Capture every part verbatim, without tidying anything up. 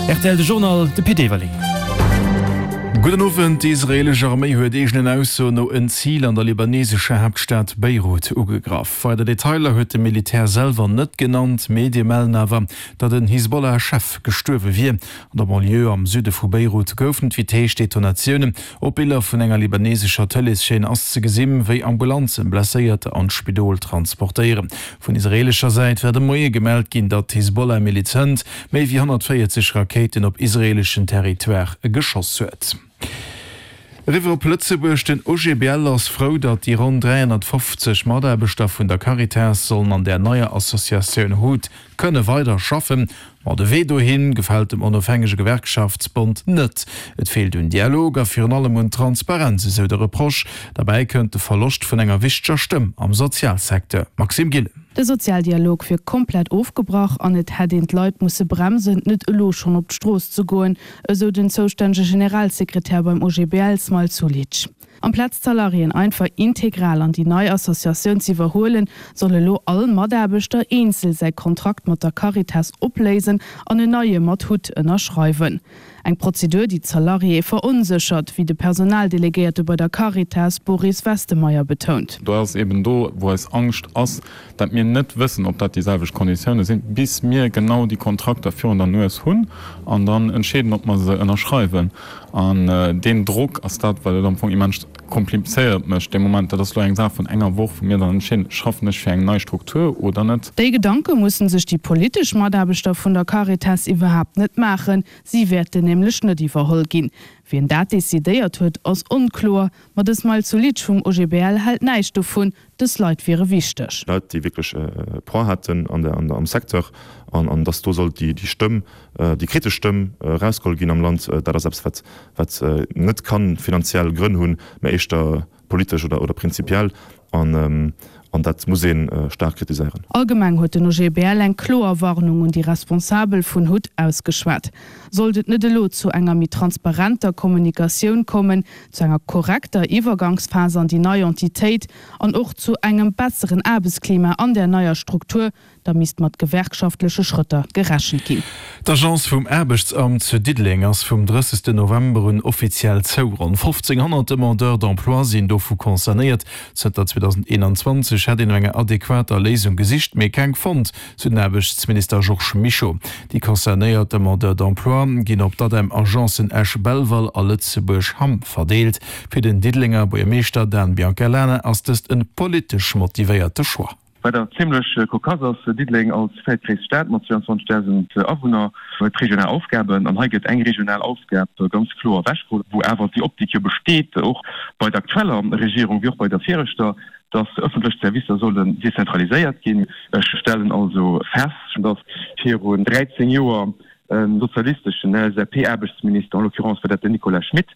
Rtl de Journal, de Pit Everling. Gudden Owend, Déi israeelesch Arméi huet eegenen Aussoen no en Zil an der libanesescher Haaptstad Beirut ugegraff. Weider Detailer huet de Militär selwer net genannt. Medie mellen awer, datt en Hisbollah-Chef gestuerwe wier. An der Banlieue am Süde vu Beirut goufen et wéi d'heescht Detonatiounen. Op Biller vun enger libanesescher Tëleeschaîne ass ze gesinn, wéi Ambulanzen Blesséierter an d'Spidol transportéieren. Vun israeelescher Säit war de Moie gemellt ginn, datt d'Hisbollah-Miliz méi wéi honnertvéierzeg Rakéiten op israeeleschen Territoire geschoss huet. Eriwwer op Lëtzebuerg, Den O G B L ass frou, datt déi ronn dräihonnertfofzeg Mataarbechter vun der Caritas sollen an der neier Associatioun HUT kënne weider schaffen. Ma de Wee dohin gefält dem onofhängege Gewerkschaftsbond net. Et feelt un Dialog a virun allem un Transparenz, esou de Reproche. Derbäi kënnt de Verloscht vun enger wichteger Stëmm am Sozialsecteur. Maxime Gillen. De Sozialdialog wier komplett ofgebrach an et hätt een d'Leit musse bremsen, net elo schonn op d'Strooss ze goen, esou den zoustännege Generalsekretär beim O G B L Smail Sulic. Amplaz d'Salariéen einfach integral an déi nei Associatioun ze iwwerhuelen, soll elo all Mataarbechter eenzel säi Kontrakt mat der Caritas opléisen an en neie mat HUT ënnerschreiwen. Eng Prozedur, déi d'Salariéë veronséchert, wéi de Personaldelegéierte bei der Caritas Boris Westemeyer betount. Do ass eben do, wou eis Angscht ass, datt mir net wëssen, ob dat déi selwecht Konditioune sinn, bis mir genau déi Kontrakter virun der Nues hunn an dann entscheeden, ob mer se ënnerschreiwen. An deen Drock ass dat, wat et am Fong immens komplizéiert mécht de Moment. Dat ass elo eng Saach vun enger Woch, wou mir dann entscheeden, schaffen ech fir eng nei Struktur oder net. Déi Gedanke musse sech déi politesch Mataarbechter vun der Caritas iwwerhaapt net maachen, si wäerten nämlech net iwwerholl ginn. Wien dat decidéiert huet, ass onkloer, ma de Smail Sulic vum O G B L hält näischt dovun, dës Leit wiere wichteg. Leit, déi wierklech e Poids haten an der, an der, am Secteur an, an dass do sollt déi, déi Stëmm, déi kritesch Stëmm erausgeholl ginn am Land, dat ass eppes, wat, wat net ka finanziell Grënn hunn, mä éischter politesch oder, oder prinzipiell an, an dat muss ee staark kritiséieren. Allgemeng huet den O G B L eng kloer Warnung un déi Responsabel vun HUT ausgeschwat. Sollt et net elo zu enger méi transparenter Kommunikatioun kommen, zu enger korrekter Iwwergangsphas an déi nei Entitéit an och zu engem besseren Aarbechtsklima an der neier Struktur, da misst mat gewerkschaftleche Schrëtter gerechent ginn. D'Agence vum Aarbechtsamt zu Diddeleng ass vum drëssegsten November un offiziell zou. Ronn fofzénghonnert Demandeurs d'emploi sinn dovu concernéiert. Zënter zweedausendeenanzwanzeg hätt een no enger adequater Léisung gesicht, mee keng fonnt, sou den Aarbechtsminister Georges Mischo. Déi concernéiert Demandeurs d'emploi ginn op d'ADEM-Agencen Esch-Belval a Lëtzebuerg-Hamm verdeelt. Fir den Diddelenger Buergermeeschter Dan Biancalana ass dëst e politesch motivéierte Choix. Wat awer zimlech kokass ass, Diddeleng als véiertgréisst Stad mat zweiundzwanzegdausend Awunner huet regional Aufgaben an hei gëtt eng regional Aufgab ganz kloer ewechgeholl, wou awer déi Optik jo besteet, och bei der aktueller Regierung wéi och bei der viregter, dass ëffentlech Servicer sollen dezentraliséiert ginn. Ech stellen also fest, dass virun dräizéng Joer e sozialisteschen L S A P-Aarbechtsminister, en l'occurrence war dat den Nicolas Schmit,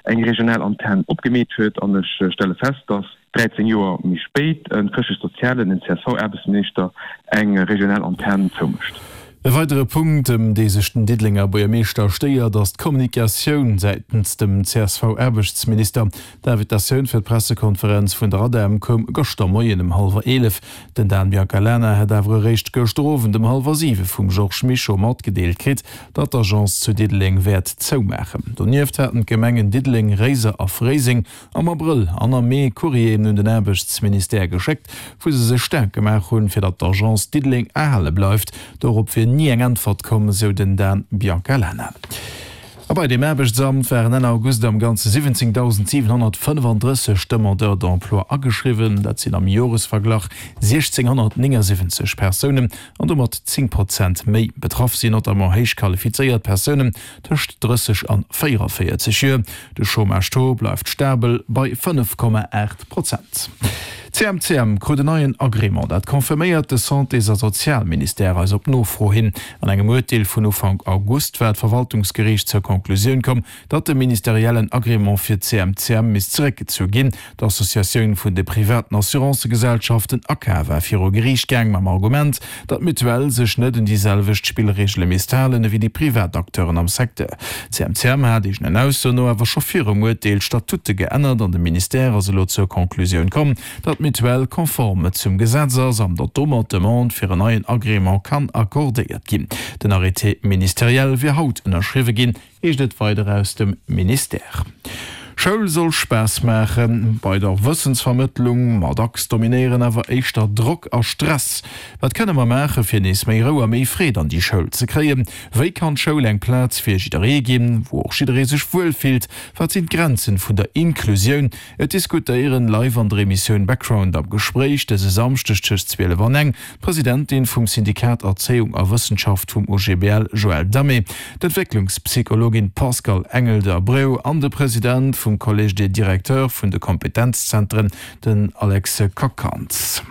eng regional Antenn opgemeet huet an ech stelle fest, dass dräizéng Joer méi spéit e chrëschtlech-sozialen, en C S V-Aarbechtsminister eng regional Antenn zoumécht. E weidere Punkt, ëm dee sech den Diddelenger Buergermeeschter stéiert, ass d'Kommunikatioun säitens dem C S V-Aarbechtsminister. D'Invitatioun fir d'Pressekonferenz vun der ADEM koum gëschter Moien ëm hallwer eelef. Den Dan Biancalana hätt awer eréischt gëschter Owend ëm hallwer siwe vum Georges Mischo matgedeelt kritt, datt d'Agence zu Diddeleng wäert zoumaachen. Donieft haten d'Gemengen Diddeleng, Réiser a Fréiseng am Abrëll an am Mee Courrieren un den Aarbechtsministère geschéckt, wou se sech staark gemaach hunn, fir datt d'Agence Diddeleng erhale bleift. Dorop wier ni eng Äntwert komm, sou den Dan Biancalana. A bei dem Aarbechtsamt waren Enn August am Ganze siwwenzéngdausendsiwenhonnertfënnefandrësseg Demandeurs d'emploi ageschriwwen. Dat sinn am Joresverglach siechzénghonnertnéngasiwwenzeg Persounen an domat zéng Prozent méi. Betraff sinn notamment héich qualifizéiert Persounen tëscht drësseg an véierevéierzeg Joer. De Chômage-Taux bleift stabel bei fënnef Komma aacht Prozent. C M C M krut en neien Agrément. Dat confirméiert de Santés a Sozialministère eis op Nofro hin. An engem Urteel vun Ufank August war d'Verwaltungsgeriicht zur Konklusioun komm, datt de ministeriellen Agrément fir C M C M misst zeréckgezu ginn. D'Associatioun vun de privaten Assurancëgesellschaften ACA war viru Geriicht gaang mam Argument, datt d'Mutuelle sech net un déi selwecht Spillreegele misst halen ewéi déi privat Acteuren am Secteur. C M C M hat eegenen Aussoen no awer scho virum Urteel d'Statute geännert an de Ministère ass elo zur Konklusioun komm, datt d'Mutuelle konform zum Gesetz ass an datt domat d'Demande fir en neien Agrément kann accordéiert ginn. Den Arrêté ministériel wier haut ënnerschriwwe ginn, heescht et weider aus dem Ministère. Schoul soll Spaass maachen bei der Wëssensvermëttlung, ma dacks dominéieren awer éischter Drock a Stress. Wat kënne mer maache fir nees méi Rou a méi Freed an déi Schoul ze kréien? Wéi kann d'Schoul eng Plaz fir jidderee ginn, wou och jidderee sech wuel fillt? Wat sinn d'Grenzen vun der Inklusioun? Et diskutéieren live an der Emissioun Background am Gespréich dëse Samschdeg tëscht zwielef an eng, d'Presidentin vum Syndikat Erzéiung a Wëssenschaft vum O G B L Joëlle Damé, d'Entwécklungspsychologin Pascale Engel de Abreu an de President vum Collège des Directeurs vun de Kompetenzzentren, den Alex Kockhans.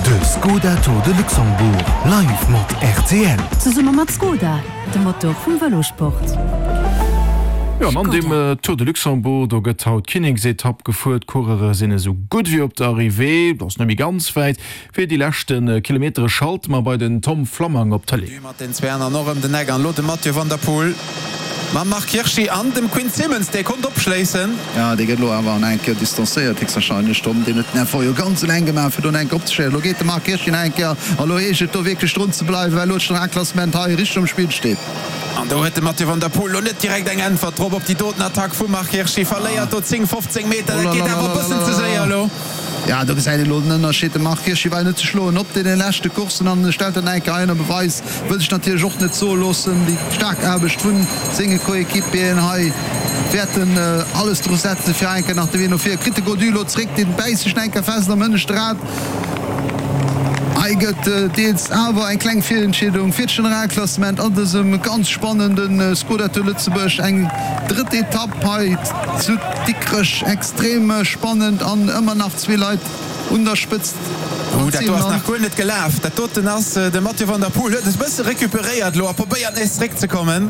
De Skoda Tour de Luxembourg live mat R T L. Zesumme mat Skoda, dem Motor vum Vëlosport. Jo, an an dem Tour de Luxembourg, do gëtt haut d'Kinneksetapp gefuer. D'Coureure sinn esou gutt wéi op der Arrivée, dat ass net méi ganz wäit. Fir déi leschte Kilometere schalte mer bei den Tom Flammang op d'Tëlee. Mat den zwee an och ëm den Eck an elo de Mathieu van der Poel mam Marc Hirschi an dem Quinn Simmons, dee konnt opschléissen. Jo, dee gëtt elo awer an eng Kéier distanzéiert, héchstwahrscheinlech. Tom, deen huet den Effort jo ganz eleng gemaach, fir do eng Kéier opzeschléissen. Elo geet de Marc Hirschi nach eng Kéier an elo heescht et do wierklech drun ze bleiwen, well elo d'Generalklassement hei richteg um Spill steet. An do huet de Mathieu van der Poel lo net direkt eng Äntwert drop op déi doten Attack vum Marc Hirschi, verléiert do zéng, fofzéng Meter, dat geet awer e bëssen ze séier elo. Jo, do gesäit een elo den Ënnerscheed, de Marc Hirschi war jo net ze schloen op deene leschte Courssen an stellt dat nach eng Kéier hei ënner Beweis, wëll sech natierlech och net soe loossen, déi staark Aarbecht vu senge Coéquipieren hei wäerten alles dru setzen, fir hei eng Kéier nach de Wee no vir. Kritt de Gaudu elo zréck, deen bäisst sech nach eng Kéier fest am hënneschte Rad. Hei gëtt deels awer eng kleng Virentscheedung fir d'Generalklassement an dësem ganz spannende Skoda Tour Lëtzebuerg. Eng drëtt Etapp hei zu Dikrech, extrem spannend an ëmmer nach zwee Leit un der Spëtzt. Ouh, dat do ass nach guer net gelaf. Dat doten ass de Mathieu van der Poel huet e bësse recuperéiert elo a probéiert nees zeréckzekommen.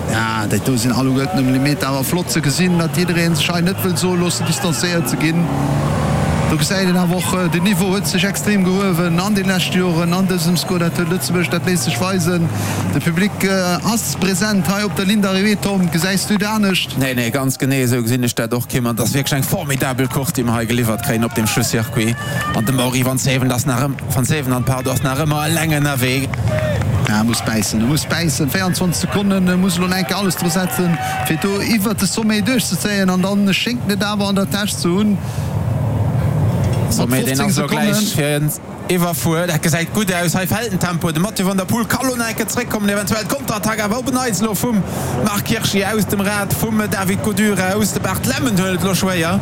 Ja, dat do sinn alleguerten ëm Limit, awer flott ze gesinn, datt jidderee sech hei net wëll soe loossen, distanzéiert ze ginn. Do gesäit een awer och, den Niveau huet sech extrem gehuewen an de leschte Joren an dësem Skoda Tour Lëtzebuerg. Dat léisst sech weisen. De Public ass present hei op der Ligne d'arrivée. Tom, gesäis du et anescht? Nee, nee, ganz genee esou gesinn ech dat och, Kim. An et ass wierklech eng formidabel Course, déi mer hei geliwwert kréien op deem Schlusscircuit. An de Mauri Vansevenant ass nach ëm, Vansevenant, pardon, ass nach ëmmer eleng ënnerwee. Ja, e muss bäissen, e muss bäissen. véierundzwanzeg Sekonnen, e muss elo nach eng Kéier alles dru setzen, fir do iwwert de Sommet duerchzezéien. An dann schéngt en et awer an der Täsch ze hunn. Sommet, deen ass elo gläich fir en Iwwerfuer. Dat gesäit gutt aus. Hei fält den Tempo. De Mathieu van der Poel ka lo nach eng Kéier zréckkommen. Eventuell d'Konterattack awer op en Neits elo vum Marc Hirschi aus dem Rad vum David Gaudu eraus. De Bart Lemmen huet et elo schwéier.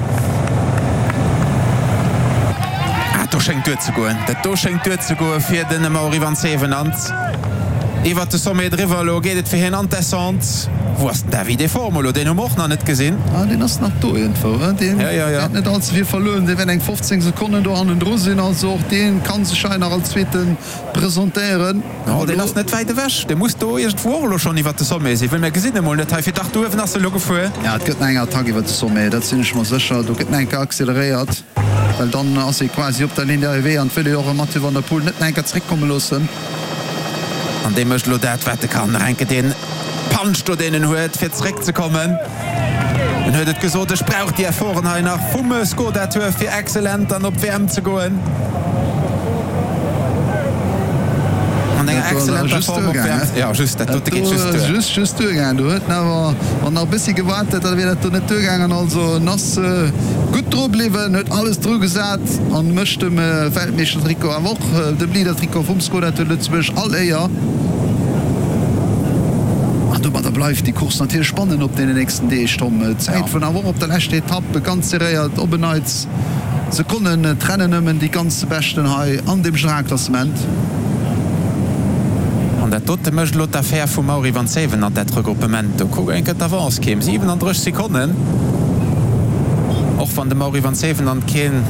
Ah, dat do schéngt duerzegoen. Dat do schéngt duerzegoe fir de Mauri Vansevenant. Iwwert de Sommet driwwer, elo geet et fir hien an d'Descente. Wou ass den Davide Formolo? Deen hu mer och nach net gesinn. Ah, deen ass nach do iergendwou, he? Deen wäert net all ze vill verluer hunn. Dee wäert eng fofzéng Sekonnen do hannendru sinn. Also och dee ka sech hei nach als Zweete presentéieren. Oh, deen ass net wäit ewech. Dee muss do iergendwou och elo schonn iwwert de Sommet sinn, well mir gesinn e mol net hei. Fir dach, do uewen ass e elo gefuer. Ja, et gëtt nach eng Attack iwwert de Sommet, dat sinn ech mer sécher. Do gëtt nach eng Kéier acceleréiert. Well dann ass ee quasi op der Ligne d'arrivée an et wëll ee och e Mathieu van der Poel net nach eng Kéier zeréckkomme loossen. An dee mécht elo dat, wat e kann, nach eng Kéier dee Punch do, deen en huet, fir zeréckzekommen. En huet et gesot, Ech brauch déi Efforten hei nach vum Skoda Tour, fir excellent dann op d'W M ze goen. An enger excellenter Form op d'W M. Jo, just, dat dote geet just duer. Just, just duergaangen. Do huet en awer, wann nach e bëssi gewaart hätt, da wier dat do net duergaangen. Also en ass gutt dru bliwwen, huet alles dru gesat an mécht dem Weltmeeschtertrikot, awer och dem Leadertrikot vum Skoda Tour Lëtzebuerg all Éier. An domadder bleift déi Course natierlech spannend op deenen nächsten Deeg, Tom. D'Zäit vun awer och op der leschter Etapp ganz serréiert, op en Neits Sekonnen trennen nëmmen déi ganz Beschten hei an dem Generalklassement. An dat dote mécht elo d'Affär vum Mauri Vansevenant, dat Regruppement do. Kuck eng Kéier d'Avance, Kim, siwenandrësseg Sekonnen. Och wann de Mauri Vansevenant keen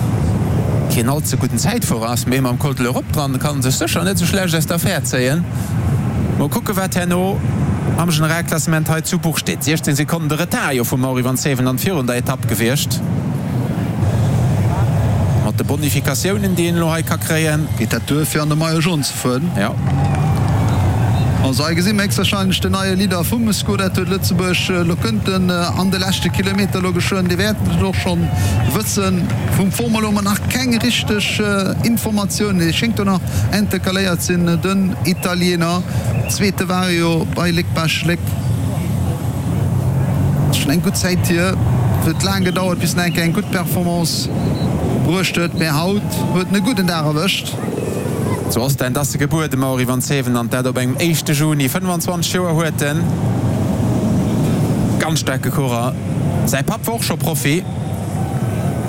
keen all ze gudden Zäitfuerer ass, mee mam Col de l'Europe dran kann en sech sécher net esou schlecht aus der Affär zéien. Mol kucke wat herno am Generalklassement hei zu Buch steet. siechzéng Sekonnen de Retard jo vum Mauri Vansevenant virun der Etapp gewiescht. Mat de Bonifikatiounen déi een elo hei ka kréien. Geet dat duer fir an de Maillot jaune ze fueren? Jo. Also hei gesi mer héchstwahrscheinlech den neie Leader vum Skoda Tour de Lëtzebuerg. Elo kënnt en an de leschte Kilometer elo geschwënn. Dir wäert et och schonn wëssen. Vum Formolo hu mer nach keng richteg Informatioun. Hie schéngt do nach intercaléiert sinn, den Italiener. Zweete war e jo bei Léck-Bech-Léck. Ass schonn eng gutt Zäit hier. Et huet laang gedauert, bis en eng Kéier eng gutt Performance bruecht huet, mä haut huet en e gudden Dag erwëscht. Zu Ostend ass e gebuer, de Mauri Vansevenant, dat op engem éischte Juni. fënnwanzwanzeg Joer huet en. Ganz staarke Coureur. Säi Papp war och scho Profi,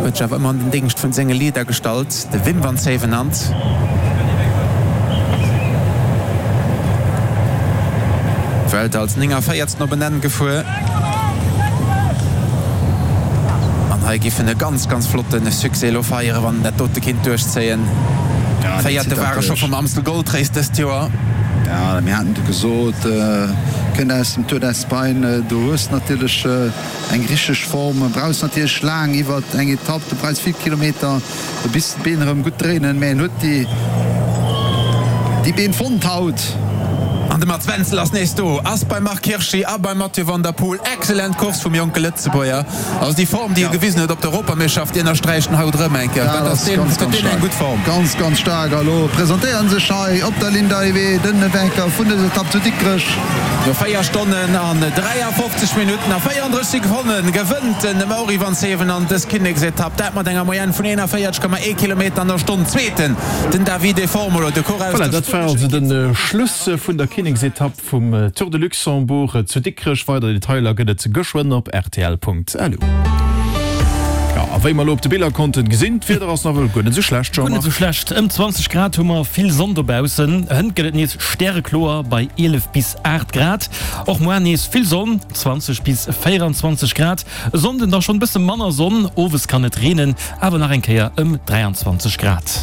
huet sech awer ëmmer an den Déngscht vun senge Leader gestallt, de Wim Vansevenant. Vuelta als néngavéiertsten op en Enn gefuer. An hei giff en e ganz, ganz flotte Succès elo feieren, wann en dat dote kinnt duerchzéien. Véierte war e scho vum Amstel Gold Race dëst Joer. Jo, mir haten et gesot, kënnt aus dem Tour d'Espagne, do hues de natierlech eng richteg Form, brauchs natierlech laang iwwert eng Etapp, du brauchs vill Kilometer, bis d'Been erëm gutt dréinen, mä en huet déi déi Been fonnt haut. An de Mats Wenzel ass nees do, ass beim Marc Hirschi a beim Mathieu van der Poel. Excellent Course vum jonke Lëtzebuerger. Also déi Form, déi e gewisen huet op der Europameeschterschaft, déi ënnersträicht en haut erëm eng Kéier. Dat ass ganz, ganz staark. Eng gutt Form. Ganz, ganz staark. A lo presentéieren sech hei op der Linn d'Arrivée den Vainqueur vun dëser Etapp zu Dikrech. No véier Stonnen an dräiafofzeg Minutten a véierandrësseg Sekonne gewënnt den Mauri Vansevenant dës Kinneksetapp, dat mat enger Moyenne vun eenanvéierteg Komma ee Kilometer an der Stonn. Zweeten den Davide Formolo, de Coureur aus Voilà, der dat war also spuenescher de Schluss vun der Kinneksetapp vum Tour de Luxembourg zu Dikrech. Weider Detailer gëtt et geschwënn op rtl.lu. Jo, a wéi mer elo op de Biller konnten gesinn, d'Wieder ass nawell guer net esou schlecht, Guer net Jean-Marc. esou schlecht, ëm zwanzeg Grad hu mer, vill Sonn dobaussen. Hënt gëtt et nees stärekloer bei eelef bis aacht Grad. Och muar nees vill Sonn, zwanzeg bis véieranzwanzeg Grad. E Sonnden da schonn bësse manner Sonn, owes kann et reenen, awer nach eng Kéier ëm dräianzwanzeg Grad.